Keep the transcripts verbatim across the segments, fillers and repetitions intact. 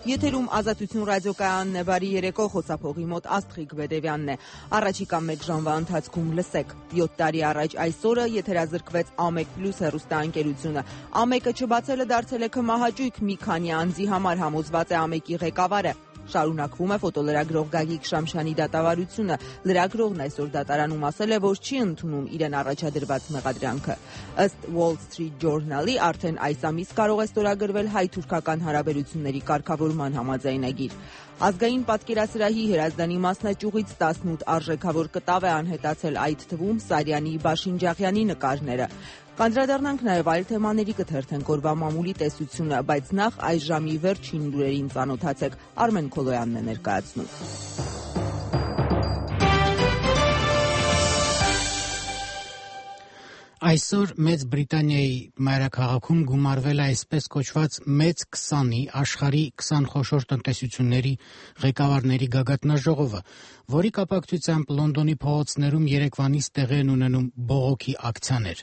Եթերում Ազատություն ռադիոկայանն է, բարի երեկո, խոսափողի մոտ Աստղիկ Բեդևյանն է։ Առաջիկա մեկ ժամվա ընթացքում լսեք. յոթ տարի առաջ այսօրը եթերազրկվեց Ամեկ Պլյուս հեռուստաընկերությունը։ Ամեկը չբացելը դարձել է քմահաճույք մի քանի անձի համար, համոզված է Ամեկի ղեկավարը։ Շարունակվում է ֆոտոլրագրող Գագիկ Շամշյանի դատավարությունը։ Լրագրողն այսօր դատարանում ասել է, որ չի ընդունում իրեն առաջադրված մեղադրանքը։ Ըստ Wall Street Journal-ի արդեն այս ամիս կարող է ստորագրվել հայ-թուրքական հարաբերությունների կարգավորման համաձայնագիր։ Ազգային պատկերասրահի Հրազդանի մասնաճյուղից տասնութ արժեքավոր կտավ է անհետացել, այդ թվում Սարյանի, Բաշինջաղյանի նկարները։ Կանդրադառնանք նաև այլ թեմաների, կթերթենք օրվա մամուլի տեսությունը, բայց նախ այս ժամի վերջին լուրերին ծանոթացեք։ Արմեն Քոլոյանն է ներկայացնում։ Այսօր Մեծ Բրիտանիայի մայրաքաղաքում գումարվել է այսպես կոչված Մեծ քսանի աշխարհի քսան խոշոր տնտեսությունների ղեկավարների գագաթնաժողովը, որի կապակցությամբ Լոնդոնի փողոցներում երեկվանից տեղի են ունենում բողոքի ակցիաներ։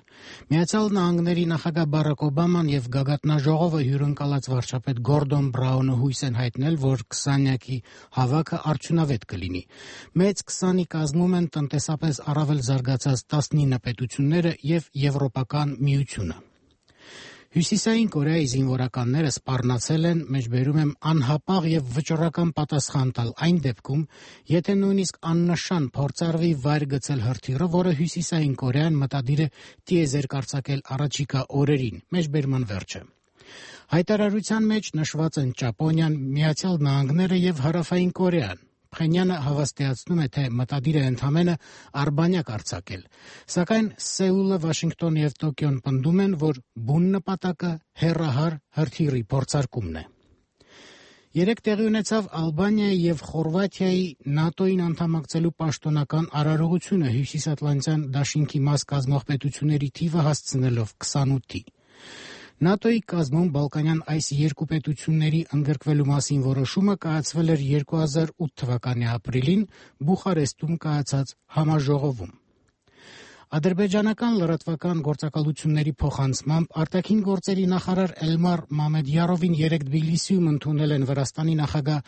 Միացյալ Նահանգների նախագահ Բարակ Օբաման եւ գագաթնաժողովը հյուրընկալած վարչապետ Գորդոն Բրաունը հույս են հայտնել, որ քսանյակի հավաքը արդյունավետ կլինի։ Մեծ քսանի կազմում են տնտեսապես առավել զարգացած տասնինը պետությունները եւ Եվրոպական միությունը։ Հյուսիսային Կորեայի զինվորականները սպառնացել են, մեջբերում եմ, անհապաղ եւ վճռական պատասխան տալ այն դեպքում, եթե նույնիսկ աննշան փորձարվի վայր գցել հրթիռը, որը Հյուսիսային Կորեան մտադիր է տիեզերք արձակել առաջիկա օրերին, մեջբերման վերջը։ Հայտարարության մեջ նշված են Ճապոնիան, Միացյալ Նահանգները եւ Հարավային Կորեան։ Փխենյանը հավաստիացնում է, թե մտադիր է ընդամենը արբանյակ արձակել, սակայն Սեուլը, Վաշինգտոնը եւ Տոկիոն պնդում են, որ բուն նպատակը հեռահար հրթիռի փորձարկումն է։ Երեք տեղի ունեցավ Ալբանիայի եւ Խորվաթիայի ՆԱՏՕ-ին անդամակցելու պաշտոնական արարողությունը Հյուսիսատլանտյան դաշինքի մաս կազմող պետությունների թիվը հասցնելով քսանութի։ ՆԱՏՕ-ի կազմում Բալկանյան այս երկու պետությունների ընդգրկվելու մասին որոշումը կայացվել էր երկու հազար ութ թվականի ապրիլին Բուխարեստում կայացած համաժողովում։ Ադրբեջանական լրատվական գործակալությունների փոխանցմամբ արտաքին գործերի նախարար Էլմար Մամեդյարովին երեկ Թբիլիսիում ընդունել են Վրաստանի նախագահ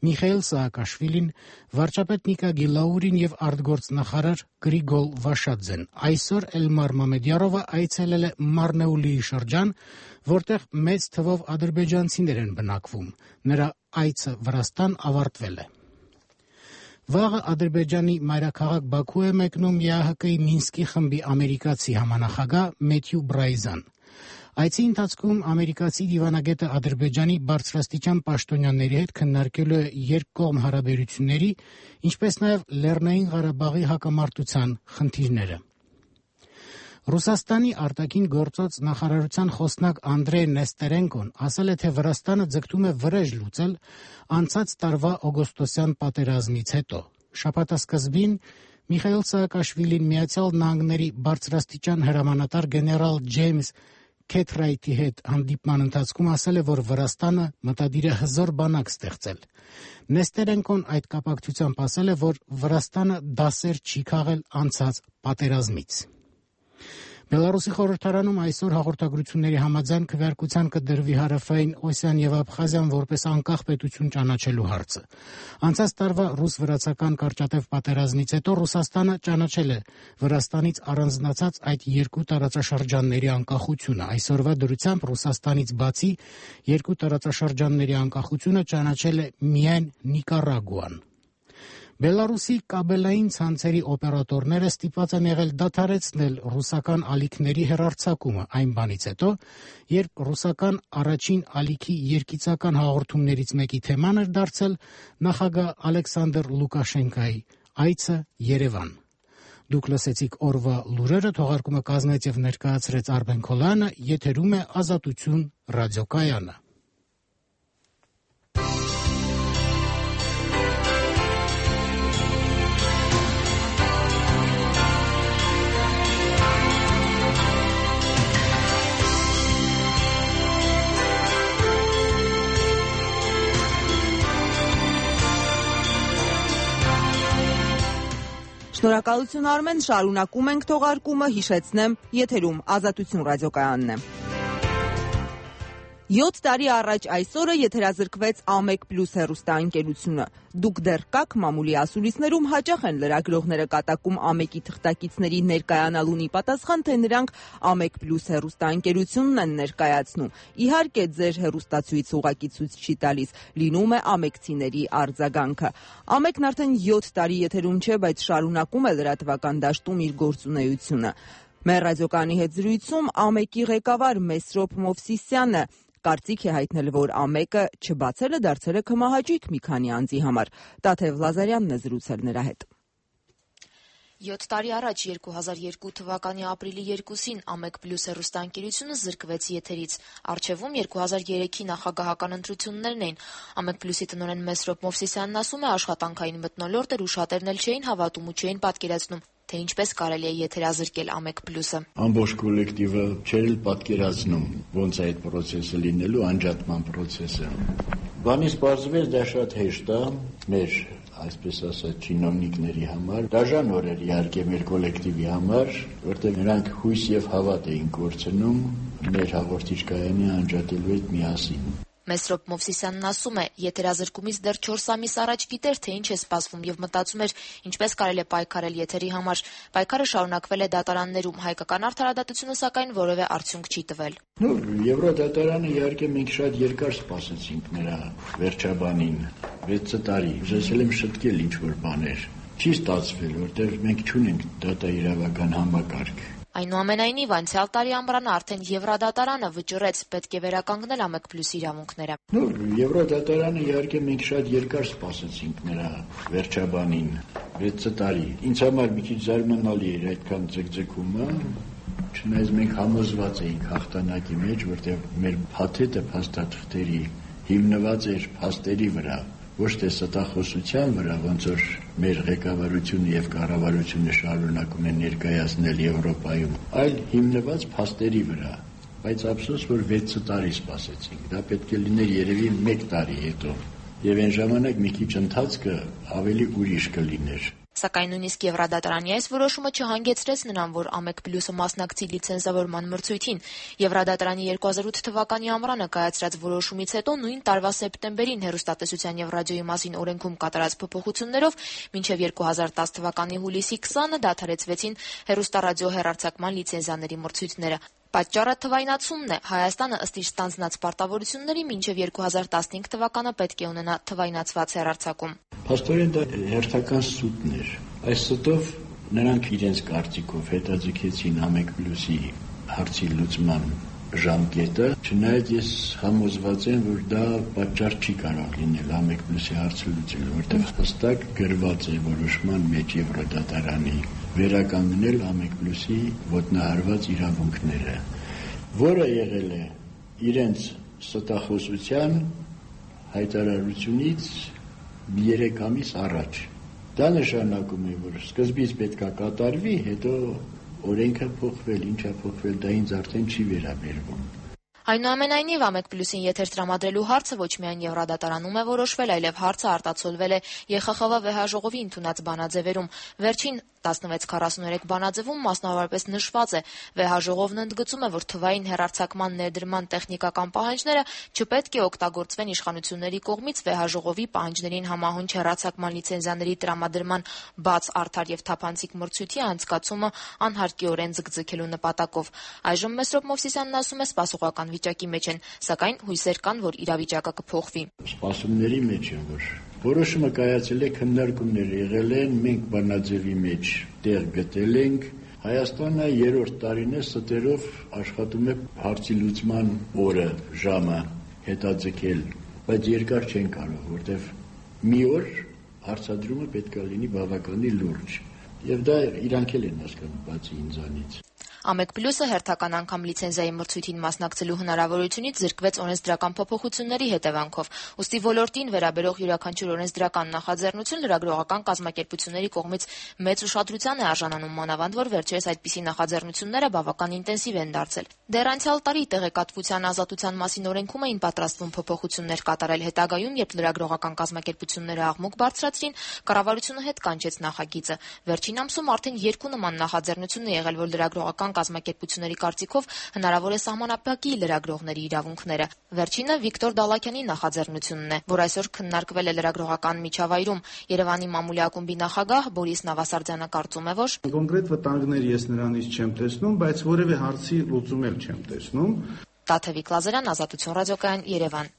Միխայիլ Սաակաշվիլին, վարչապետ Նիկա Գիլաուրին եւ արտգործնախարար Գրիգոլ Վաշադզեն։ Այսօր Էլմար Մամեդյարովը այցելել է Մարնեուլիի շրջան, որտեղ մեծ թվով ադրբեջանցիներ են բնակվում։ Նրա այցը Վրաստան ավարտվել է։ Վաղը Ադրբեջանի մայրաքաղաք Բաքու է մեկնում ԵԱՀԿ-ի Մինսկի խմբի ամերիկացի համանախագահ Մեթյու Բրայզան։ Այցի ընթացքում ամերիկացի դիվանագետը Ադրբեջանի բարձրաստիճան պաշտոնյաների հետ քննարկելու է երկկողմ հարաբերությունների, ինչպես նաև Լեռնային Ղարաբաղի հակամարտության խնդիրները։ Ռուսաստանի արտաքին գործոց նախարարության խոսնակ Անդրեյ Նեստերենկոն ասել է, թե Վրաստանը ձգտում է վրեժ լուծել անցած տարվա օգոստոսյան պատերազմից հետո։ Շաբաթասկզբին Միխայիլ Սաակաշվիլին Միացյալ Նահանգների բարձրաստիճան հրամանատար գեներալ Ջեյմս Քեթրայթի հետ հանդիպման ընթացքում ասել է, որ Վրաստանը մտադիր է հզոր բանակ ստեղծել։ Նեստերենկոն այդ կապակցությամբ ասել է, որ Վրաստանը դասեր չի քաղել անցած պատերազմից։ Բելարուսի խորհրդարանում այսօր հաղորդագրությունների համաձայն քվեարկության կդրվի Հարավային Օսիան եւ Աբխազիան որպես անկախ պետություն ճանաչելու հարցը։ Անցած տարվա ռուս-վրացական կարճատև պատերազմից հետո Ռուսաստանը ճանաչել է Վրաստանից առանձնացած այդ երկու տարածաշրջանների անկախությունը։ Այսօրվա դրությամբ Ռուսաստանից բացի երկու տարածաշրջանների անկախությունը ճանաչել է միայն Նիկարագուան։ Բելարուսի կաբելային ցանցերի օպերատորները ստիպված են եղել դադարեցնել ռուսական ալիքների հեռարձակումը այն բանից հետո, երբ ռուսական առաջին ալիքի երկիծական հաղորդումներից մեկի թեման էր դարձել նախագահ Ալեքսանդր Լուկաշենկայի այցը Երևան։ Դուք լսեցիք օրվա լուրերը, թողարկումը կազմեց եւ ներկայացրեց Արմեն Քոլյանը, եթերում է Ազատություն ռադիոկայանը։ Շնորհակալություն Արմեն, շարունակում ենք թողարկումը, հիշեցնեմ, եթերում Ազատություն ռադիոկայանն է։ յոթ տարի առաջ այսօրը եթերազրկվեց Ամեկ Պլյուս հեռուստաընկերությունը։ Դուք դեռ կաք մամուլի ասուլիսներում հաճախ են լրագրողները կատակում Ամեկի թղթակիցների ներկայանալուն ի պատասխան, թե նրանք Ամեկ Պլյուս հեռուստաընկերությունն են ներկայացնում։ Իհարկե, ձեր հեռուստացույց ուղղակի ցույց չի տալիս, լինում է ամեկցիների արձագանքը։ Ամեկն արդեն յոթ տարի եթերում չէ, բայց շարունակում է լրատվական դաշտում իր գործունեությունը։ Մեր ռադիոկայանի հետ զրույցում Ամեկի ղեկավար Մեսրոպ Մովսիսյանը կարծիք է հայտնել, որ Ամեկը չբացելը դարձել է քմահաճույք մի քանի անձի համար։ Տաթև Լազարյանն է զրուցել նրա հետ։ յոթ տարի առաջ երկու հազար երկու թվականի ապրիլի երկուսին Ամեկ Պլյուս հեռուստաընկերությունը զրկվեց եթերից։ Առջևում երկու հազար երեքի նախագահական ընտրություններն էին։ Ամեկ Պլյուսի տնօրեն Մեսրոպ Մովսիսյանն ասում է, աշխատանքային մթնոլորտ էր ու շատերն էլ չէին հավատում ու չէին պատկերացնում, թե ինչպես կարելի է եթերազրկել Ամեկ Պլյուսը։ Ամբողջ կոլեկտիվը չէր պատկերացնում ոնց է այդ process-ը լինելու, անջատման process-ը։ Բանից պարզվեց դա շատ հեշտ է մեր, այսպես ասած, չինովնիկների համար, դաժան օր էր իհարկե մեր կոլեկտիվի համար, որտեղ նրանք հույս եւ հավատ էին կորցնում մեր հաղորդիչ կայանի անջատելու հետ միասին։ Մեսրոպ Մովսիսյանն ասում է, եթերազրկումից դեռ չորս ամիս առաջ գիտեր, թե ինչ է սպասվում եւ մտածում էր, ինչպես կարելի է պայքարել եթերի համար։ Պայքարը շարունակվել է դատարաններում, հայկական արդարադատությունը սակայն որևէ արդյունք չի տվել։ Ну, Եվրոդատարանը իհարկե մենք շատ երկար սպասեցինք նրա վերջաբանին, վեց տարի։ Ուզեցել եմ շտկել ինչ-որ բաներ։ Չի ստացվել, որտեղ մենք չունենք դատա իրավական համակարգ։ Այնուամենայնիվ, անցյալ տարի ամռանը արդեն Եվրոդատարանը վճռեց, պետք է վերականգնել Ամեկ Պլյուսի իրավունքները։ Ну, Եվրոդատարանը իհարկե մենք շատ երկար սպասեցինք նրա վերջաբանին, վեց տարի։ Ինձ համար մի քիչ զարմանալի էր այդքան ձգձգումը, չնայած մենք համոզված էինք հաղթանակի մեջ, որտեղ մեր փաթեթը փաստաթղթերի հիմնված էր փաստերի վրա, ոչ թե ստախոսության վրա, ոնց որ մեր ղեկավարությունը եւ կառավարությունը շարունակում են ներկայացնել Եվրոպայում, այլ հիմնված փաստերի վրա։ Բայց ափսոս, որ վեց տարի սպասեցինք։ Դա պետք է լիներ երևի մեկ տարի հետո։ Եվ այն ժամանակ մի քիչ ընթացքը ավելի ուրիշ կլիներ։ Սակայն նույնիսկ Եվրոդատարանի այս որոշումը չհանգեցրեց նրան, որ Ամեկ Պլյուսը մասնակցի լիցենզավորման մրցույթին։ Եվրոդատարանի երկու հազար ութ թվականի ամռանը կայացրած որոշումից հետո նույն տարվա սեպտեմբերին հեռուստատեսության եւ ռադիոյի մասին օրենքում կատարած փոփոխություններով մինչեւ երկու հազար տաս թվականի հուլիսի քսանը դադարեցվեցին հեռուստառադիո հեռարձակման լիցենզիաների մրցույթները։ Պատճառը թվայնացումն է։ Հայաստանը ըստ իր ստանձնած պարտավորությունների մինչև երկու հազար տասնհինգ թվականը պետք է ունենա թվայնացված հեռարձակում։ Փաստորեն դա հերթական սուտն էր։ Այս սուտով նրանք իրենց կարծիքով հետաձգեցին Ամեկ Պլյուսի հարցի լուծման ժամկետը, չնայած ես համոզված եմ, որ դա պատճառ չի կարող լինել Ամեկ Պլյուսի հարցը լուծելու, որտեղ հստակ գրված է որոշման մեջ Եվրոդատարանի վերականգնել Ամեկ Պլյուսի ոտնահարված իրավունքները, որը եղել է իրենց ստախոսության հայտարարությունից երեք ամիս առաջ։ Դա նշանակում է, որ սկզբից պետք է կատարվի, հետո օրենքը փոխվել, ինչա փոխվել, դա ինձ արդեն չի վերաբերվում։ Այնուամենայնիվ Ամեկ Պլյուսին եթեր տրամադրելու հարցը ոչ միայն Եվրոդատարանում է որոշվել, այլև հարցը արտացոլվել է Ե Խ Խ V վեհաժողովի ընդունած բանաձևերում։ Վերջին տասնվեց քառասուներեք բանաձևում մասնավորապես նշված է. վեհաժողովն ընդգծում է, որ թվային հեռարձակման ներդրման տեխնիկական պահանջները չպետք է օգտագործվեն իշխանությունների կողմից վեհաժողովի պահանջներին համահունչ հեռարձակման լիցենզիաների տրամադրման բաց, արդար եւ թափանցիկ մրցույթի անցկացումը անհարկիորեն ձգձգելու նպատակով։ Այժմ Մեսրոպ Մովսիսյանն ասում է, սպասողական վիճակի մեջ են, սակայն հույսեր կան, որ իրավիճակը կփոխվի։ Սպասումների մեջ են, որ որոշումը կայացել է, քննարկումներ եղել են, մենք բանաձևի մեջ տեղ գտել ենք։ Հայաստանը երրորդ տարին է ստերով աշխատում է հարցի լուծման օրը, ժամը հետաձգել, բայց երկար չեն կարող, որտեղ մի օր հարցադրումը պետք է լինի բավականին լուրջ, եւ դա իրանք էլ են հասկանում, բացի ինձանից։ Ամեկ Պլյուսը հերթական անգամ լիցենզիայի մրցույթին մասնակցելու հնարավորությունից զրկվեց օրենսդրական փոփոխությունների հետևանքով։ Ուստի ոլորտին վերաբերող յուրաքանչյուր օրենսդրական նախաձեռնություն լրագրողական կազմակերպությունների կողմից մեծ ուշադրության է արժանանում, մանավանդ որ վերջերս այդպիսի նախաձեռնությունները բավական ինտենսիվ են դարձել։ Դեռ անցյալ տարի տեղեկատվության ազատության մասին օրենքում էին պատրաստվում փոփոխություններ կատարել, հետագայում, երբ լրագրողական կազմակերպությունները աղմուկ բարձրացրին, կառավարությունը հետ կանչեց նախագիծը։ Վերջին ամսում արդեն երկու նման նախաձեռնություն է եղել, որ լրագրողական քաղաքական կազմակերպությունների կարծիքով հնարավոր է սահմանափակի լրագրողների իրավունքները։ Վերջինը Վիկտոր Դալաքյանի նախաձեռնությունն է, որ այսօր քննարկվել է լրագրողական միջավայրում։ Երևանի մամուլի ակումբի նախագահ Բորիս Նավասարդյանը կարծում է, որ կոնկրետ վտանգներ ես նրանից չեմ տեսնում, բայց որևէ հարցի լուծում էլ չեմ տեսնում։ Տաթևիկ Լազարյան, Ազատություն ռադիոկայան, Երևան։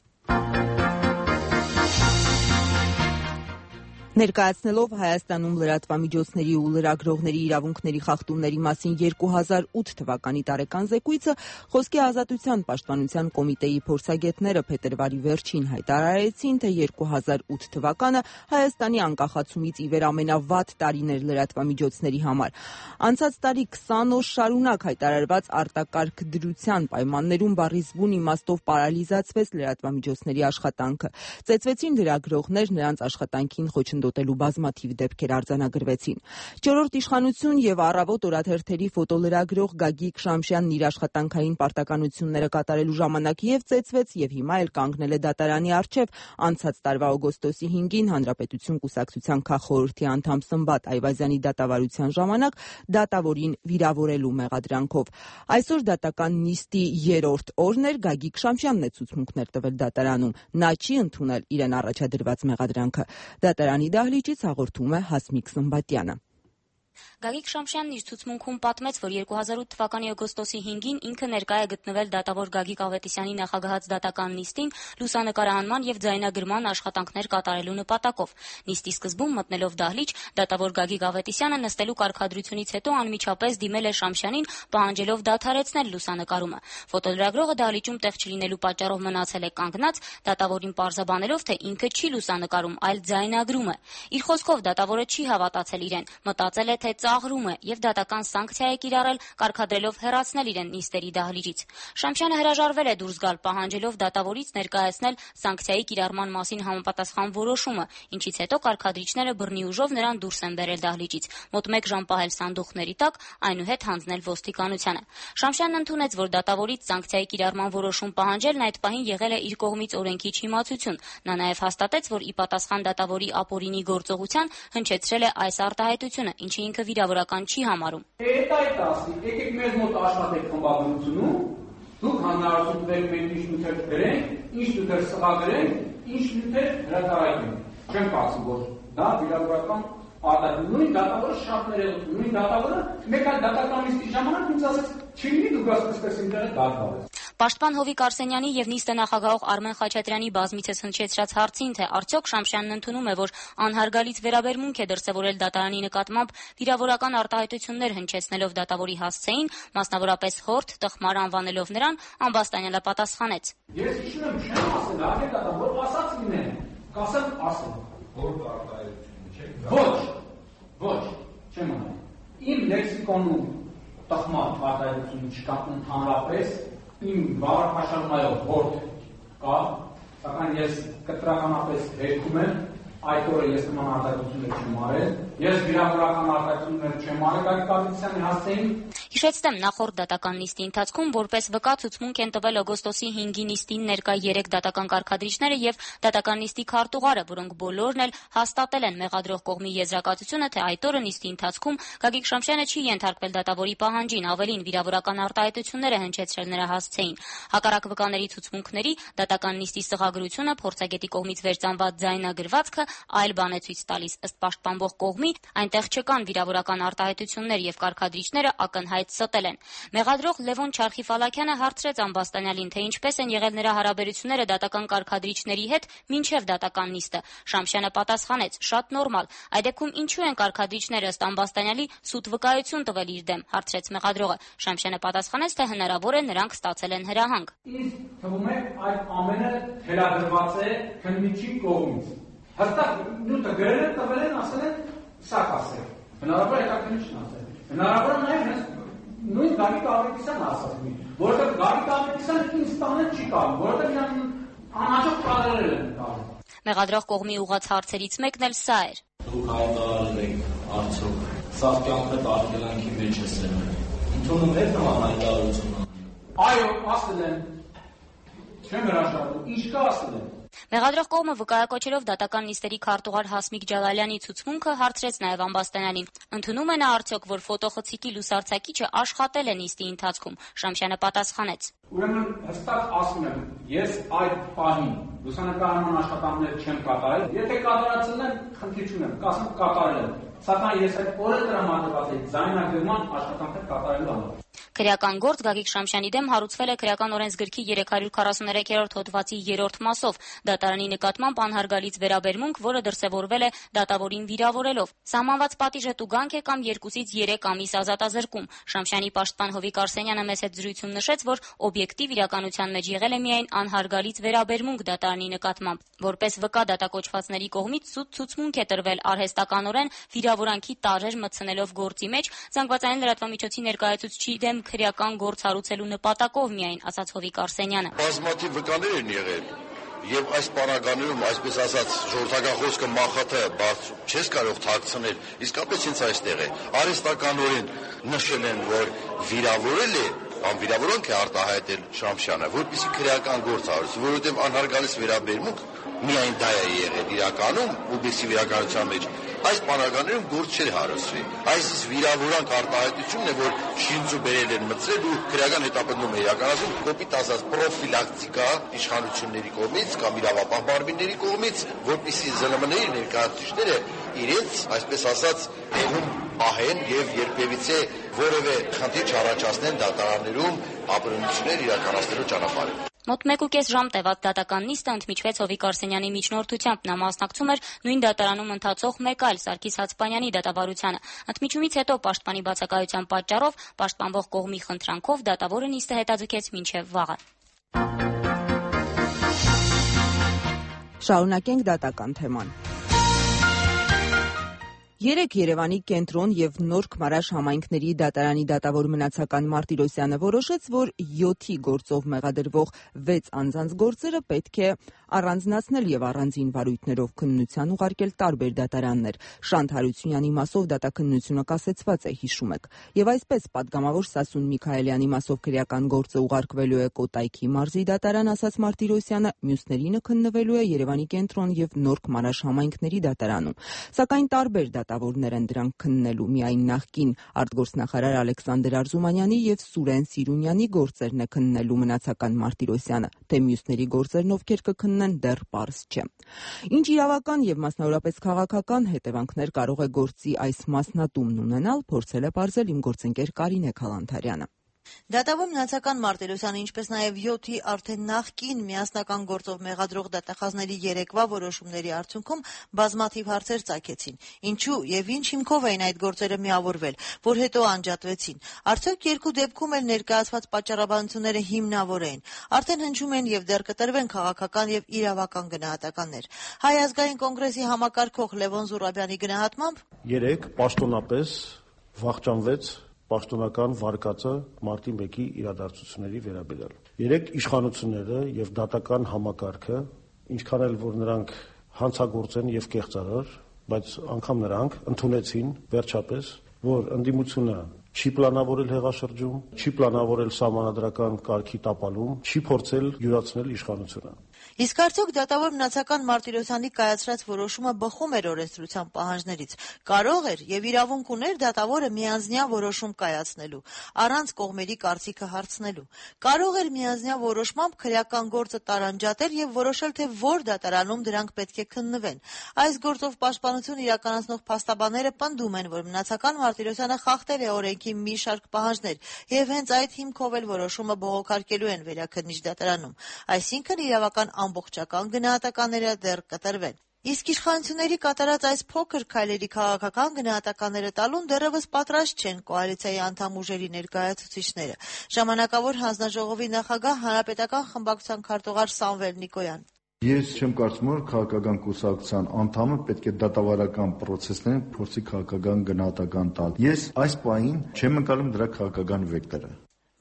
Ներկայացնելով Հայաստանում լրատվամիջոցների ու լրագրողների իրավունքների խախտումների մասին երկու հազար ութ թվականի տարեկան զեկույցը Խոսքի ազատության պաշտպանության կոմիտեի փորձագետները փետրվարի վերջին հայտարարեցին, թե երկու հազար ութ թվականը Հայաստանի անկախացումից ի վեր ամենավատ տարին էր լրատվամիջոցների համար։ Անցած տարի քսան օր շարունակ հայտարարված արտակարգ դրության պայմաններում բառիզբուն իմաստով պարալիզացվեց լրատվամիջոցների աշխատանքը։ Ծեծվեցին լրագրողներ, նրանց աշխատանքին խոչընդոտելու բազմաթիվ դեպքեր արձանագրվեցին։ Չորրորդ իշխանություն եւ Առավոտ օրաթերթերի ֆոտոլրագրող Գագիկ Շամշյանն իր աշխատանքային պարտականությունները կատարելու ժամանակ եւ ծեծվեց եւ հիմա էլ կանգնել է դատարանի առջեւ։ Անցած տարվա օգոստոսի հինգին Հանրապետություն կուսակցության քաղխորհրդի անդամ Սմբատ Այվազյանի դատավարության ժամանակ դատավորին վիրավորելու մեղադրանքով։ Այսօր դատական նիստի երրորդ օրն էր, Գագիկ Շամշյանն է ցուցմունքներ տվել դատարանում։ Նա չի ընդունել իրեն առաջադրված մեղադրանքը։ Դատարանի դահլիճից հաղորդում է Հասմիկ Սմբատյանը։ Գագիկ Շամշյանն իր ցուցմունքում պատմեց, որ երկու հազար ութ թվականի օգոստոսի հինգին ինքը ներկայ է գտնվել դատավոր Գագիկ Ավետիսյանի նախագահած դատական նիստին լուսանկարահանման եւ ձայնագրման աշխատանքներ կատարելու նպատակով։ Նիստի սկզբում մտնելով դահլիճ, դատավոր Գագիկ Ավետիսյանը նստելու կարգադրությունից հետո անմիջապես դիմել է Շամշյանին, պահանջելով դադարեցնել լուսանկարումը։ Ֆոտոլրագրողը դահլիճում տեղ չլինելու պատճառով մնացել է կանգնած, դատավորին պարզաբանելով, թե ինքը չի լուսանկարում, այլ ձայնագրում է։ Իր խոսքով դատավորը չի հավատացել իրեն, մտածել է, թե ծաղրում է եւ դատական սանկցիա է կիրառել, կարգադրելով հեռացնել իրեն նիստերի դահլիճից։ Շամշյանը հրաժարվել է դուրս գալ, պահանջելով դատավորից ներկայացնել սանկցիայի կիրառման մասին համապատասխան որոշումը, ինչից հետո կարգադրիչները բռնի ուժով նրան դուրս են բերել դահլիճից, մոտ մեկ ժամ պահել սանդուղքների տակ, այնուհետ հանձնել ոստիկանությանը։ Շամշյանն ընդունեց, որ դատավորից սանկցիայի կիրառման որոշում պահանջելն այդ պահին եղել է իր կողմից օրենքի չիմացություն։ Նա նաեւ հաստատեց, որ ի պատասխան դատավորի ապօրինի գործողության հնչեցրել է այս արտահայտությունը, ինչը ինքը վիրավորական չի համարում։ Այդ այդ ասի, եկեք մեզ մոտ աշխատեք խմբագրությունում, դուք հանրարություն տվեք, մենք ինչ նյութեր գրենք, ինչ նյութեր սղագրենք, ինչ նյութեր հրատարակենք։ Չեմ կարծում, որ դա վիրավորական արտահայտություն։ Նույն դատավորը շատ ներողություն, նույն դատավորը մեկ այլ դատական նիստի ժամանակ ինձ ասաց, չլինի դուք ասեցիք ինտերը դատվարես։ Պաշտպան Հովիկ Արսենյանի եւ նիստը նախագահող Արմեն Խաչատրյանի բազմիցս հնչեցրած հարցին, թե արդյոք Շամշյանն ընդունում է, որ անհարգալից վերաբերմունք է դրսևորել դատարանի նկատմամբ վիրավորական արտահայտություններ հնչեցնելով դատավորի հասցեին, մասնավորապես խորթ, տխմար անվանելով նրան, Ամբաստանյանը պատասխանեց. Ես հիշում եմ, չեմ ասել, ահա դա որ ասած լինեն, կասեմ ասել։ Որ արտահայտություն չէ։ Ոչ, ոչ, չեմ ասել։ Իմ լեքսիկոնում տխմար արտահայտություն չկա ընդհանրապես իմ բառապաշարմայով հորդ կա, սակայն ես կտրականապես հերքում եմ, այդ օրը ես նման արտահայտություններ չեմ արել, ես վիրավորական արտահայտություններ չեմ արել, այդ կառույցյանի հասցեին։ Հիշեցնեմ, նախորդ դատական նիստի ընթացքում որպես վկա ցուցմունք են տվել օգոստոսի հինգի նիստին ներկա երեք դատական կարգադրիչները եւ դատական նիստի քարտուղարը, որոնք բոլորն էլ հաստատել են մեղադրող կողմի եզրակացությունը, թե այդ օրը նիստի ընթացքում Գագիկ Շամշյանը չի ենթարկվել դատավորի պահանջին, ավելին վիրավորական արտահայտություններ է հնչեցրել նրա հասցեին։ Հակառակ վկաների ցուցմունքների դատական նիստի սղագրությունը, փորձագետի կողմից վերծանված ձայնագրվածքը այլ բան է ցույց տալիս։ Ըստ պաշտպանվող կողմի այնտեղ չկան վիրավորական արտահայտություններ եւ կարգադրիչները ակնհայտ ստել են։ Մեղադրող Լևոն Չարխիֆալակյանը հարցրեց Ամբաստանյալին, թե ինչպես են եղել նրա հարաբերությունները դատական կարգադրիչների հետ մինչև դատական նիստը։ Շամշյանը պատասխանեց. շատ նորմալ։ Այդ դեպքում ինչու են կարգադրիչները ըստ Ամբաստանյալի սուտ վկայություն տվել իր դեմ, հարցրեց մեղադրողը։ Շամշյանը պատասխանեց, թե հնարավոր է նրանք ստացել են հրահանգ։ Ինձ թվում է այդ ամենը թելադրված է քննիչի կողմից։ Հստակ նյութը գրել են, տվել են, ասել են, սա կասել։ Հնարավոր է քննիչն ասել։ Հնարավոր է նաև նույն Գագիկ Ավետիսյանը ասած մի, որովհետև Գագիկ Ավետիսյանը ինձ տանը չի կարող, որովհետև իրան անհաջող պատերել են տալու։ Մեղադրող կողմի ուղղած հարցերից մեկն էլ սա էր։ Դուք հայտարարել եք արդյոք սա կյանքդ արգելանքի մեջ է սերվել։ Ընդունում եք նման հայտարարությունը։ Այո, ասել են։ Չեմ հրաժարվում, ինչ կա ասել են։ Մեղադրող կողմը վկայակոչելով դատական նիստերի քարտուղար Հասմիկ Ջալալյանի ցուցմունքը հարցրեց նաև ամբաստանյանին. ընդունում է նա արդյոք, որ ֆոտոխցիկի լուսարձակիչը աշխատել է նիստի ընթացքում։ Շամշյանը պատասխանեց. Ուրեմն հստակ ասում եմ, ես այդ պահին լուսանկարման աշխատանքներ չեմ կատարել, եթե կատարածել եմ, խնդիր չունեմ, կասեմ կատարել եմ, սակայն ես այդ օրը տրամադրված էի ձայնագրման աշխատանքներ կատարելու համար։ Քրեական գործ Գագիկ Շամշյանի դեմ հարուցվել է Քրեական օրենսգրքի երեք հարյուր քառասուներեքերորդ հոդվածի երրորդ մասով դատարանի նկատմամբ անհարգալից վերաբերմունք, որը դրսևորվել է դատավորին վիրավորելով։ Սահմանված պատիժը տուգանք է կամ երկուսից երեք ամիս ազատազրկում։ Շամշյանի պաշտպան Հովիկ Արսենյանը մեծ հետ զրույցում նշեց, որ օբյեկտիվ իրականության մեջ եղել է միայն անհարգալից վերաբերմունք դատարանի նկատմամբ։ Որպես վկա դատակոչվածների կողմից սուտ ցուցմունք է տրվել արհեստականորեն վիրավորանքի տարրեր մտցնելով գործի մեջ զանգվածային լրատվամիջոցի ներկայացուցչի դեմ քրեական գործ հարուցելու նպատակով միայն, ասաց Հովիկ Արսենյանը։ Բազմաթիվ վկաներ են եղել եւ այս պարագաներում, այսպես ասած, ժողովրդական խոսքը մախաթը չես կարող թաքցնել, իսկապես ինձ այստեղ է։ Արհեստականորեն նշել են, որ վիրավորել է, անվիրավորանք է արտահայտել Շամշյանը, որպեսզի քրեական գործ հարուցի, որովհետեւ անհարգալից վերաբերմունք միայն դա է եղել իրականում, ուբեսի իրականության մեջ։ Այս պարագաներում գործ չէր հարուցվի։ Այս վիրավորանք արտահայտությունն է, որ շինծու բերել են մտցրել ու քրեական հետապնդում է իրականացում, կոպիտ ասած պրոֆիլակտիկա իշխանությունների կողմից կամ իրավապահ մարմինների կողմից, որպեսզի ԶԼՄ-ների ներկայացուցիչները իրենց, այսպես ասած, տեղում պահեն եւ երբևիցե որևէ խնդիր չառաջացնեն դատարաններում ապրումներ իրականացնելու ճանապարհին։ Մոտ մեկ ու կես ժամ տևած դատական նիստը ընդմիջվեց Հովիկ Արսենյանի միջնորդությամբ։ Նա մասնակցում էր նույն դատարանում ընթացող մեկ այլ Սարգիս Հացպանյանի դատավարությանը։ Ընդմիջումից հետո պաշտպանի բացակայության պատճառով պաշտպանվող կողմի խնդրանքով դատավորը նիստը հետաձգեց մինչև վաղը։ Շարունակենք դատական թեման։ Երեկ Երևանի կենտրոն եւ Նորք Մարաշ համայնքների դատարանի դատավոր մնացական Մարտիրոսյանը որոշեց, որ յոթի գործով մեղադրվող վեց անձանց գործերը պետք է առանձնացնել եւ առանձին վարույթներով քննության ուղարկել տարբեր դատարաններ։ Շանթ Հարությունյանի մասով դատաքննությունը կասեցված է, հիշում եք։ Եվ այսպես պատգամավոր Սասուն Միքայելյանի մասով քրեական գործը ուղարկվելու է Կոտայքի մարզի դատարան, ասաց Մարտիրոսյանը, մյուսներինը քննվելու է Երևանի կենտրոն եւ Նորք Մարաշ համայնքների դատարանում։ Սակայն տարբեր դատավորներ են դրանք քննելու, միայն նախկին արտգործնախարար Ալեքսանդր Արզումանյանի եւ Սուրեն Սիրունյանի գործերն է քննելու մնացական Մարտիրոսյանը, թե մյուսների գործերն ովքեր կքննեն դեռ պարզ չէ։ Ինչ իրավական եւ մասնավորապես քաղաքական հետևանքներ կարող է գործի այս մասնատումն ունենալ, փորձել է պարզել իմ գործընկեր Կարինե Քալանթարյանը։ Դատավոր մնացական Մարտիրոսյանը, ինչպես նաև յոթի արդեն նախկին միասնական գործով մեղադրող դատախազների երեկվա որոշումների արդյունքում բազմաթիվ հարցեր ծագեցին։ Ինչու եւ ինչ հիմքով էին այդ գործերը միավորվել, որ հետո անջատվեցին։ Արդյոք երկու դեպքում էլ ներկայացված պատճառաբանությունները հիմնավոր էին։ Արդեն հնչում են եւ դեռ կտրվեն քաղաքական եւ իրավական գնահատականներ։ Հայ ազգային կոնգրեսի համակարգող Լևոն Զուրաբյանի գնահատմամբ երեք պաշտոնապես վախճանվեց պաշտոնական վարկածը մարտի մեկի իրադարձությունների վերաբերյալ։ Երեք իշխանությունները եւ դատական համակարգը, ինչքան էլ որ նրանք հանցագործ են եւ կեղծարար, բայց անգամ նրանք ընդունեցին վերջապես, որ ընդդիմությունը չի պլանավորել հեղաշրջում, չի պլանավորել սահմանադրական կարգի տապալում, չի փորձել յուրացնել իշխանությունը։ Իսկ արդյոք դատավոր մնացական Մարտիրոսյանի կայացրած որոշումը բխում էր օրենսդրության պահանջներից։ Կարող էր եւ իրավունք ուներ դատավորը միանձնյա որոշում կայացնելու, առանց կողմերի կարծիքը հարցնելու։ Կարող էր միանձնյա որոշմամբ քրեական գործը տարանջատել եւ որոշել, թե որ դատարանում դրանք պետք է քննվեն։ Այս գործով պաշտպանություն իրականացնող փաստաբանները պնդում են, որ մնացական Մարտիրոսյանը խախտել է օրենքի մի շարք պահանջներ եւ հենց այդ հիմքով էլ որոշումը բողոքարկելու են վերաքննիչ դատարանում։ Այսինքն իրավական ամբողջական գնահատականները դեռ կտրվեն։ Իսկ իշխանությունների կատարած այս փոքր քայլերի քաղաքական գնահատականները տալուն դեռևս պատրաստ չեն կոալիցիայի անդամ ուժերի ներկայացուցիչները։ Ժամանակավոր հանձնաժողովի նախագահ հանրապետական խմբակցության քարտուղար Սամվել Նիկոյան։ Ես չեմ կարծում, որ քաղաքական կուսակցության անդամը պետք է դատավարական պրոցեսներին փորձի քաղաքական գնահատական տալ։ Ես այս պահին չեմ ընկալում դրա քաղաքական վեկտորը։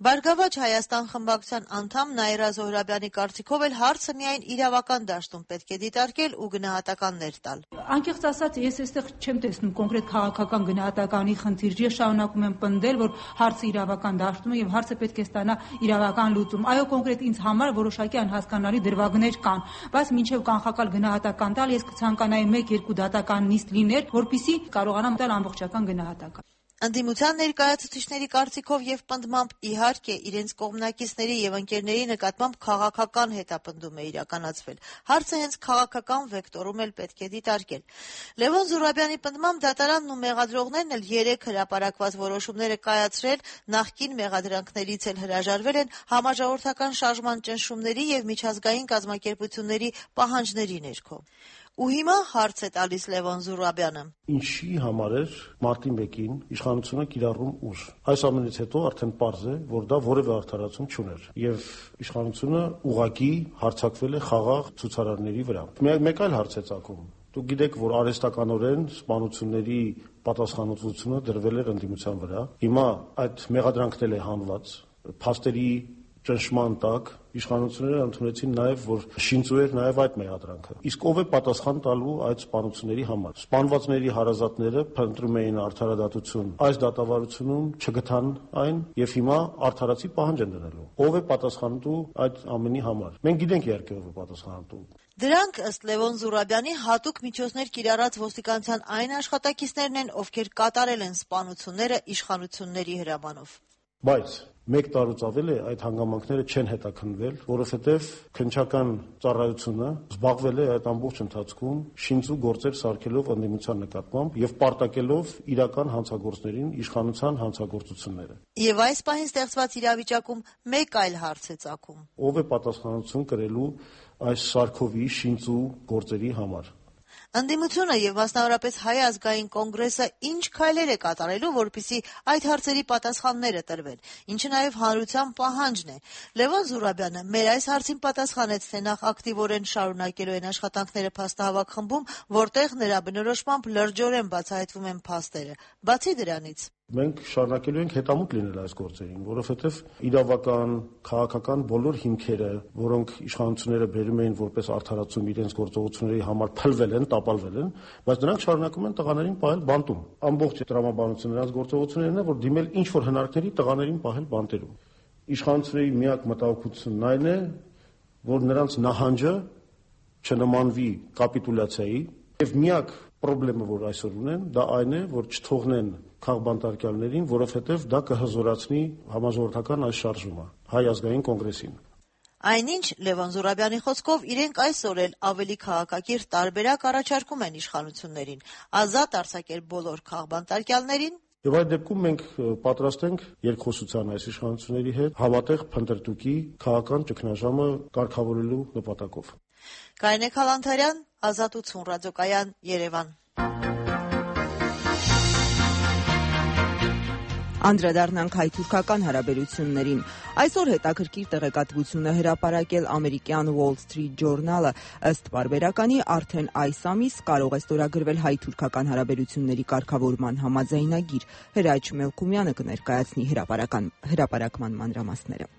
Բարգավաճ Հայաստան խմբակցության անդամ Նաիրա Զոհրաբյանի կարծիքով էլ հարցը միայն իրավական դաշտում պետք է դիտարկել ու գնահատականներ տալ։ Անկեղծ ասած, ես այստեղ չեմ տեսնում կոնկրետ քաղաքական գնահատականի խնդիր, ես շարունակում եմ պնդել, որ հարցը իրավական դաշտում է եւ հարցը պետք է ստանա իրավական լուծում։ Այո, կոնկրետ ինձ համար որոշակի անհասկանալի դրվագներ կան, բայց մինչեւ կանխակալ գնահատական տալ ես կցանկանայի մեկ-երկու դատական նիստ լիներ, որպեսզի կարողանամ տալ ամբողջական գնահատական։ Ընդդիմության ներկայացուցիչների կարծիքով եւ պնդմամբ իհարկե իրենց կողմնակիցների եւ ընկերների նկատմամբ քաղաքական հետապնդում է իրականացվել։ Հարցը հենց քաղաքական վեկտորում էլ պետք է դիտարկել։ Լևոն Զուրաբյանի պնդմամբ դատարանն ու մեղադրողներն էլ երեք հրապարակված որոշումները կայացրել, նախկին մեղադրանքներից էլ հրաժարվել են համաժողովրդական շարժման ճնշումների եւ միջազգային կազմակերպությունների պահանջների ներքո։ Ու հիմա հարց է տալիս Լևոն Զուրաբյանը. Ինչի համար էր մարտի մեկին իշխանությունը կիրառում ուժ։ Այս ամենից հետո արդեն պարզ է, որ դա որևէ արդարացում չուներ եւ իշխանությունը ուղղակի հարձակվել է խաղաղ ցուցարարների վրա։ Մեկ այլ հարց է ծագում։ Դուք գիտեք, որ արհեստականորեն սպանությունների պատասխանատվությունը դրվել էր ընդդիմության վրա։ Հիմա այդ մեղադրանքն է հանված փաստերի ճնշման տակ իշխանությունները ընդունեցին նաև, որ շինծու էր նաև այդ մեղադրանքը։ Իսկ ով է պատասխան տալու այդ սպանությունների համար։ Սպանվածների հարազատները փնտրում էին արդարադատություն, այս դատավարությունում չգտան այն եւ հիմա արդարացի պահանջ են դնելու։ Ով է պատասխանատու այդ ամենի համար։ Մենք գիտենք իհարկե ով է պատասխանատու։ Դրանք ըստ Լևոն Զուրաբյանի հատուկ միջոցներ կիրառած ոստիկանության այն աշխատակիցներն են, ովքեր կատարել են սպանությունները իշխանությունների հրամանով։ Բայց մեկ տարուց ավել է այդ հանգամանքները չեն հետաքննվել, որովհետև քննչական ծառայությունը զբաղվել է այդ ամբողջ ընթացքում շինծու գործեր սարքելով ընդդիմության նկատմամբ եւ պարտակելով իրական հանցագործներին իշխանության հանցագործությունները։ Եվ այս պահին ստեղծված իրավիճակում մեկ այլ հարց է ծագում. ով է պատասխանատվություն կրելու այս Սարքովի շինծու գործերի համար։ Ընդդիմությունը եւ մասնավորապես Հայ ազգային կոնգրեսը ինչ քայլեր է կատարելու, որպեսզի այդ հարցերի պատասխանները տրվեն, ինչը նաեւ հանրության պահանջն է։ Լևոն Զուրաբյանը մեր այս հարցին պատասխանեց, թե նախ ակտիվորեն շարունակելու են աշխատանքները փաստահավաք խմբում, որտեղ նրա բնորոշմամբ լրջորեն բացահայտվում են փաստերը։ Բացի դրանից մենք շարունակելու ենք հետամուտ լինել այս գործերին, որովհետև իրավական, քաղաքական բոլոր հիմքերը, որոնք իշխանությունները բերում էին որպես արդարացում իրենց գործողությունների համար փլվել են, տապալվել են, բայց նրանք շարունակում են տղաներին պահել բանտում։ Ամբողջ տրամաբանությունը նրանց գործողություններն է, որ դիմել ինչ որ հնարքների տղաներին պահել բանտերում։ Իշխանությունների միակ մտահոգությունն այն է, որ նրանց նահանջը չնմանվի կապիտուլյացիայի, եւ միակ խնդիրը, որ այսօր ունեն, դա այն է, որ չթողնեն քաղբանտարկյալներին, որովհետև դա կհզորացնի համաժողովրդական այս շարժումը, Հայ ազգային կոնգրեսին։ Այնինչ, Լևոն Զուրաբյանի խոսքով իրենք այսօր էլ ավելի քաղաքակիրթ տարբերակ առաջարկում են իշխանություններին, ազատ արձակել բոլոր քաղբանտարկյալներին։ Եվ այդ դեպքում մենք պատրաստ ենք երկխոսության այս իշխանությունների հետ հավատեղ փնտրտուքի քաղաքական ճգնաժամը կարգավորելու նպատակով։ Կարինե Քալանթարյան, Ազատություն ռադիոկայան, Երևան։ Անդրադառնանք հայ-թուրքական հարաբերություններին։ Այսօր հետաքրքիր տեղեկատվություն է հրապարակել ամերիկյան Wall Street Journal-ը, ըստ պարբերականի արդեն այս ամիս կարող է ստորագրվել հայ-թուրքական հարաբերությունների կարգավորման համաձայնագիր։ Հրաչ Մելքումյանը կներկայացնի հրապարակման մանրամասները։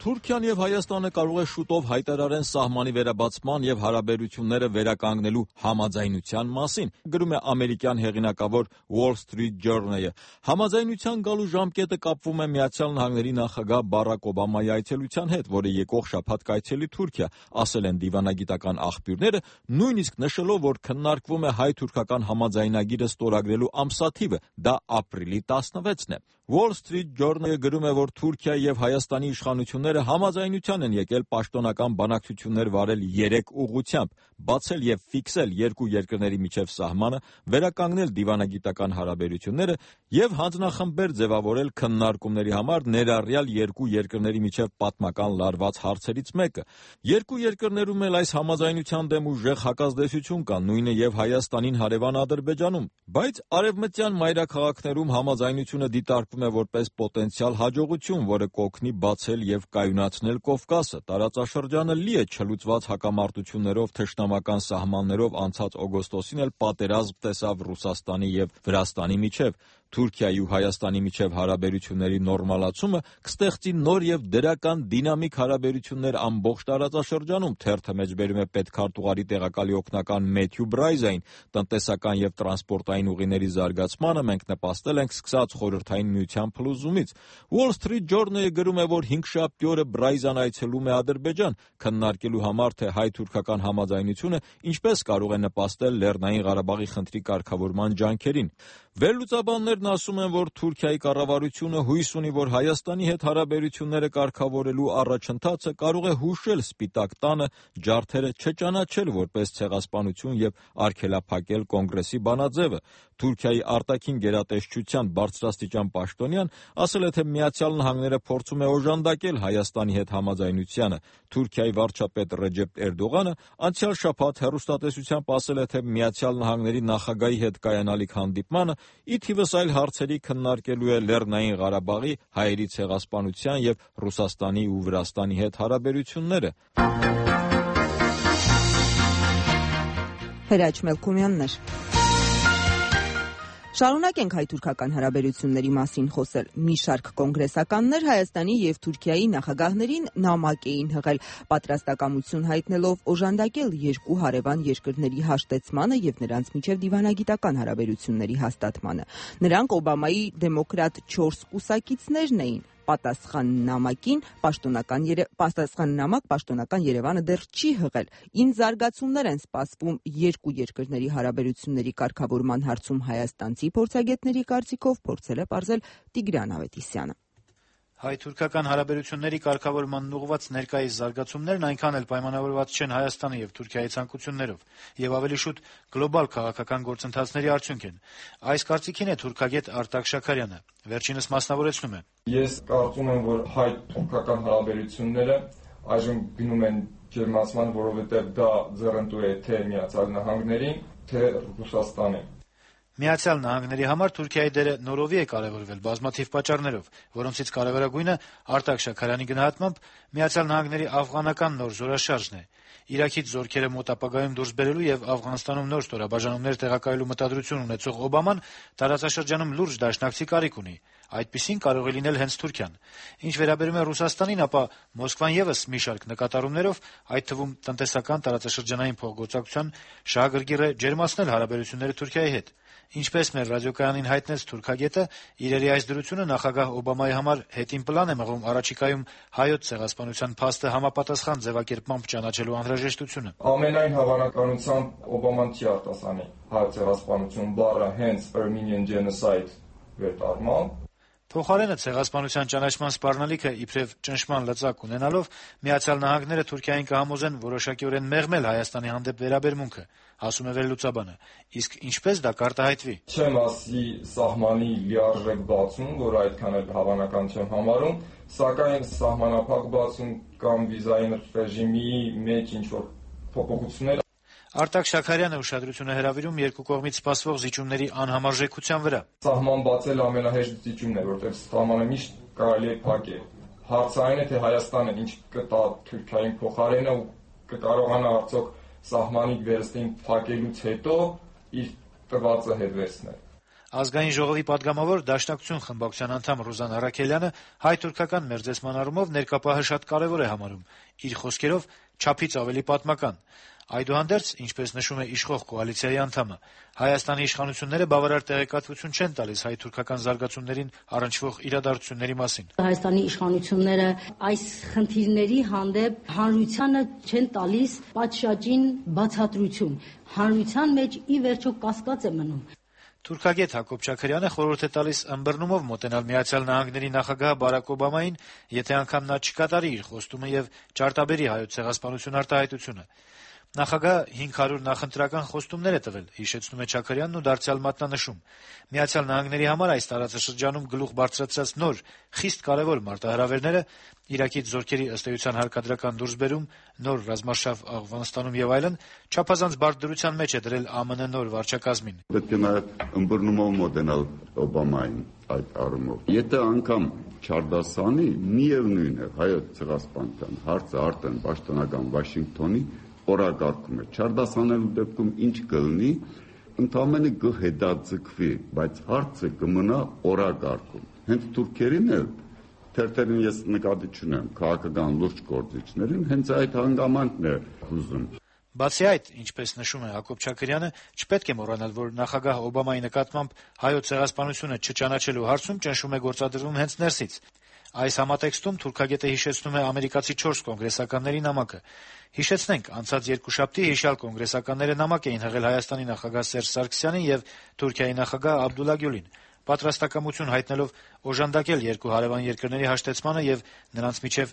Թուրքիան եւ Հայաստանը կարող է շուտով հայտարարեն սահմանի վերաբացման եւ հարաբերությունները վերականգնելու համաձայնության մասին, գրում է ամերիկյան հեղինակավոր Wall Street Journal-ը։ Համաձայնության գալու ժամկետը կապվում է Միացյալ Նահանգների նախագահ Բարակ Օբամայի այցելության հետ, որը եկող շաբաթ կայցելի Թուրքիա, ասել են դիվանագիտական աղբյուրները, նույնիսկ նշելով, որ քննարկվում է հայ-թուրքական համաձայնագիրը ստորագրելու ամսաթիվը, դա ապրիլի տասնվեցն է։ Wall Street Journal-ը գրում է, որ Թուրքիա եւ Հայաստանի իշխանությունները համաձայնության են եկել պաշտոնական բանակցություններ վարել երեք ուղղությամբ, բացել եւ ֆիքսել երկու երկրների միջև սահմանը, վերականգնել դիվանագիտական հարաբերությունները եւ հանձնախմբեր ձևավորել քննարկումների համար ներառյալ երկու երկրների միջև պատմական լարված հարցերից մեկը։ Երկու երկրներում էլ այս համաձայնության դեմ ուժեղ հակազդեցություն կա, նույնը եւ Հայաստանին հարևան Ադրբեջանում, բայց արևմտյան մայրաքաղաքներում համաձայնությունը դիտարկվում է որպես պոտենցիալ հաջողություն, որը կօգնի բացել եւ կայունացնել Կովկասը։ Տարածաշրջանը լի է չլուծված հակամարտություններով, թշնամական սահմաններով, անցած օգոստոսին էլ պատերազմ տեսավ Ռուսաստանի եւ Վրաստանի միջև։ Թուրքիայի ու Հայաստանի միջև հարաբերությունների նորմալացումը կստեղծի նոր եւ դրական դինամիկ հարաբերություններ ամբողջ տարածաշրջանում, թերթը մեջբերում է պետքարտուղարի տեղակալի օգնական Մեթյու Բրայզային, տնտեսական եւ տրանսպորտային ուղիների զարգացմանը մենք նպաստել ենք սկսած Խորհրդային Միության փլուզումից։ Wall Street Journal-ը գրում է, որ հինգշաբթի օրը Բրայզան այցելում է Ադրբեջան, քննարկելու համար, թե հայ-թուրքական համաձայնությունը ինչպես կարող է նպաստել Լեռնային Ղարաբաղի խնդրի կարգավորման ջանքերին։ Վերլուծաբաններն ասում են, որ Թուրքիայի կառավարությունը հույս ունի, որ Հայաստանի հետ հարաբերությունները կարգավորելու առաջընթացը կարող է հուշել Սպիտակ տանը ջարդերը չճանաչել որպես ցեղասպանություն եւ արգելափակել կոնգրեսի բանաձևը։ Թուրքիայի արտաքին գերատեսչության բարձրաստիճան պաշտոնյան ասել է, թե Միացյալ Նահանգները փորձում է օժանդակել Հայաստանի հետ համաձայնությանը։ Թուրքիայի վարչապետ Ռեջեփ Էրդողանը անցյալ շաբաթ հեռուստատեսությամբ ասել է, թե Միացյալ Նահանգների նախագահի հետ կայանալիք հանդիպմանը ի թիվս այլ հարցերի քննարկելու է Լեռնային Ղարաբաղի հայերի ցեղասպանության եւ Ռուսաստանի ու Վրաստանի հետ հարաբերությունները։ Հրաչ Մելքումյաններ։ Շարունակենք հայ-թուրքական հարաբերությունների մասին խոսել։ Մի շարք կոնգրեսականներ Հայաստանի եւ Թուրքիայի նախագահներին նամակ էին հղել, պատրաստակամություն հայտնելով օժանդակել երկու հարևան երկրների հաշտեցմանը եւ նրանց միջև դիվանագիտական հարաբերությունների հաստատմանը։ Նրանք Օբամայի դեմոկրատ չորս կուսակիցներն էին։ Պատասխան նամակին պաշտոնական երե... պատասխան նամակ պաշտոնական Երևանը դեռ չի հղել։ Ինչ զարգացումներ են սպասվում երկու երկրների հարաբերությունների կարգավորման հարցում հայաստանցի փորձագետների կարծիքով, փորձել է պարզել Տիգրան Ավետիսյանը։ Հայ-թուրքական հարաբերությունների կարգավորման ուղղված ներկայիս զարգացումներն այնքան էլ պայմանավորված չեն Հայաստանի եւ Թուրքիայի ցանկություններով եւ ավելի շուտ գլոբալ քաղաքական գործընթացների արդյունք են։ Այս կարծիքին է թուրքագետ Արտակ Շաքարյանը։ Վերջինս մասնավորեցնում է. Ես կարծում եմ, որ հայ-թուրքական հարաբերությունները այժմ գնում են ջերմացման, որովհետեւ դա ձեռնտու է թե Միացյալ Նահանգներին, թե Ռուսաստանին։ Միացյալ Նահանգների համար Թուրքիայի դերը նորովի է կարևորվել բազմաթիվ պատճառներով, որոնցից կարևորագույնը Արտակ Շաքարյանի գնահատմամբ Միացյալ Նահանգների աֆղանական նոր զորաշարժն է։ Իրաքից զորքերը մոտ ապագայում դուրս բերելու եւ Աֆղանստանում նոր ստորաբաժանումներ տեղակայելու մտադրություն ունեցող Օբաման տարածաշրջանում լուրջ դաշնակցի կարիք ունի։ Այդպիսին կարող է լինել հենց Թուրքիան։ Ինչ վերաբերում է Ռուսաստանին, ապա Մոսկվան եւս մի շարք նկատառումներով, այդ թվում տնտեսական տարածաշրջանային փոխգործակցության շահագրգիռ է ջերմացնել հարաբերությունները Թուրքիայի հետ։ Ինչպես մեր ռադիոկայանին հայտնեց թուրքագետը, իրերի այս դրությունը նախագահ Օբամայի համար հետին պլան է մղում առաջիկայում հայոց ցեղասպանության փաստը համապատասխան ձևակերպմամբ ճանաչելու անհրաժեշտությունը։ Ամենայն հավանականությամբ Օբաման չի արտասանի հայոց ցեղասպանություն բառը հենց Armenian genocide վերտարմամբ։ Փոխարենը ցեղասպանության ճանաչման սպառնալիքը իբրև ճնշման լծակ ունենալով Միացյալ Նահանգները Թուրքիային կհամոզեն որոշակիորեն մեղմել Հայաստանի հանդեպ վերաբերմունքը, ասում է վերլուծաբանը։ Իսկ ինչպես դա կարտահայտվի։ Չեմ ասի սահմանի լիարժեք բացում, որ այդքան էլ հավանական չեմ համարում, սակայն սահմանափակ բացում կամ վիզային ռեժիմի մեջ ինչ-որ փոփոխություններ։ Արտակ Շաքարյանը ուշադրություն է հրավիրում երկու կողմից սպասվող զիջումների անհամարժեքության վրա։ Սահման բացել ամենահեշտ զիջումն է, որտեղ սահմանը միշտ կարելի է փակել։ Հարցը այն է, թե Հայաստանը ինչ կտա Թուրքիային փոխարենը ու կկարողանա արդյոք սահմանի վերստին փակելուց հետո իր տվածը հետ վերցնել։ Ազգային ժողովի падգամավոր Դաշնակցություն խմբակցության անդամ Ռուզան Արաքելյանը հայ-թուրքական մերձեցման առումով ներկապահը շատ կարևոր է համարում, իր խոսքերով չափից ավելի պատմական։ Այդուհանդերձ, ինչպես նշում է իշխող կոալիցիայի անդամը, Հայաստանի իշխանությունները բավարար տեղեկատվություն չեն տալիս հայ-թուրքական զարգացումներին առնչվող իրադարձությունների մասին։ Հայաստանի իշխանությունները այս խնդիրների հանդեպ հանրությանը չեն տալիս պատշաճին բացատրություն։ Հանրության մեջ ի վերջո կասկած է մնում։ Թուրքագետ Հակոբ Չաքրյանը խորհուրդ է տալիս ըմբռնումով մոտենալ Միացյալ Նահանգների նախագահ Բարակ Օբամային, եթե անգամ նա չկատարի իր խոստումը եւ ճարտաբերի հայոց ցեղասպանություն արտահայտությունը։ Նախագահը հինգ հարյուր նախընտրական խոստումներ է տվել, հիշեցնում է Չաքրյանն ու դարձյալ մատնանշում։ Միացյալ Նահանգների համար այս տարածաշրջանում գլուխ բարձրացած նոր, խիստ կարևոր մարտահրավերները Իրաքից զորքերի ըստ էության հարկադրական դուրսբերում, նոր ռազմարշավ Աֆղանստանում եւ այլն, չափազանց բարդ դրության մեջ է դրել ԱՄՆ նոր վարչակազմին։ Պետք է նաեւ ըմբռնումով մոտենալ Օբամային այդ առումով։ Եթե անգամ չարդասանի, միևնույն է հայոց ցեղասպանության հարցը արդեն պաշտոնական Վաշինգտոնի օրակարգում է։ Չարդասանելու դեպքում ինչ կլինի, ընդամենը կհետաձգվի, բայց հարցը կմնա օրակարգում։ Հենց թուրքերին էլ թերթերին ես նկատի չունեմ, քաղաքական լուրջ գործիչներին հենց այդ հանգամանքն է հուզում։ Բացի այդ, ինչպես նշում է Հակոբ Չաքրյանը, չպետք է մոռանալ, որ նախագահ Օբամայի նկատմամբ հայոց ցեղասպանությունը չճանաչելու հարցում ճնշում է գործադրվում հենց ներսից։ Այս համատեքստում թուրքագետը հիշեցնում է ամերիկացի չորս կոնգրեսականների նամակը։ Հիշեցնենք, անցած երկուշաբթի հիշյալ կոնգրեսականները նամակ էին հղել Հայաստանի նախագահ Սերժ Սարգսյանին եւ Թուրքիայի նախագահ Աբդուլլա Գյուլին, պատրաստակամություն հայտնելով օժանդակել երկու հարևան երկրների հաշտեցմանը եւ նրանց միջև